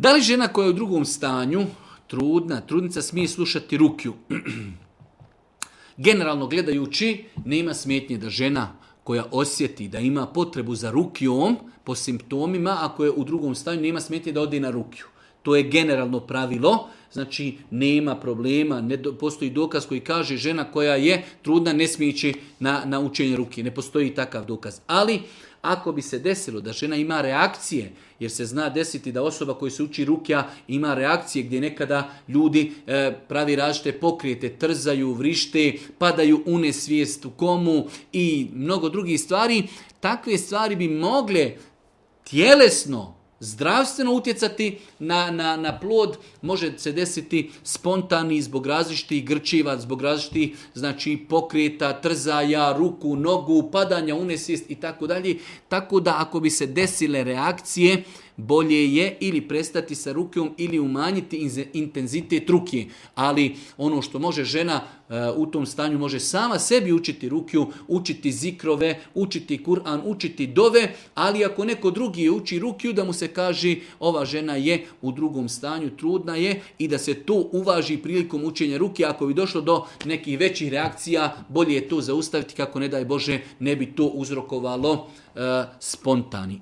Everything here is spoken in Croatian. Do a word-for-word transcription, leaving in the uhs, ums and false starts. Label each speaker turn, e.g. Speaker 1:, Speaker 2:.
Speaker 1: Da li žena koja je u drugom stanju, trudna, trudnica, smije slušati rukju? Generalno gledajući, nema smetnje da žena koja osjeti da ima potrebu za rukjom po simptomima, ako je u drugom stanju, nema smetnje da ode na rukju. To je generalno pravilo, znači nema problema, ne do, postoji dokaz koji kaže žena koja je trudna ne smije ići na, na učenje ruke, ne postoji takav dokaz. Ali ako bi se desilo da žena ima reakcije, jer se zna desiti da osoba koja se uči rukja ima reakcije gdje nekada ljudi e, pravi različite pokrijete, trzaju, vrište, padaju u nesvijest u komu i mnogo drugih stvari, takve stvari bi mogle tjelesno, zdravstveno utjecati na, na, na plod, može se desiti spontani zbog različitih grčiva, zbog različitih znači, pokreta, trzaja, ruku, nogu, padanja u nesvijest i tako dalje. Tako da ako bi se desile reakcije, bolje je ili prestati sa rukjom ili umanjiti intenzitet ruke. Ali ono što može žena uh, u tom stanju može sama sebi učiti rukju, učiti zikrove, učiti Kur'an, učiti dove, ali ako neko drugi uči rukju da mu se kaže ova žena je u drugom stanju, trudna je i da se to uvaži prilikom učenja ruke. Ako bi došlo do nekih većih reakcija, bolje je to zaustaviti kako ne daj Bože ne bi to uzrokovalo uh, spontani.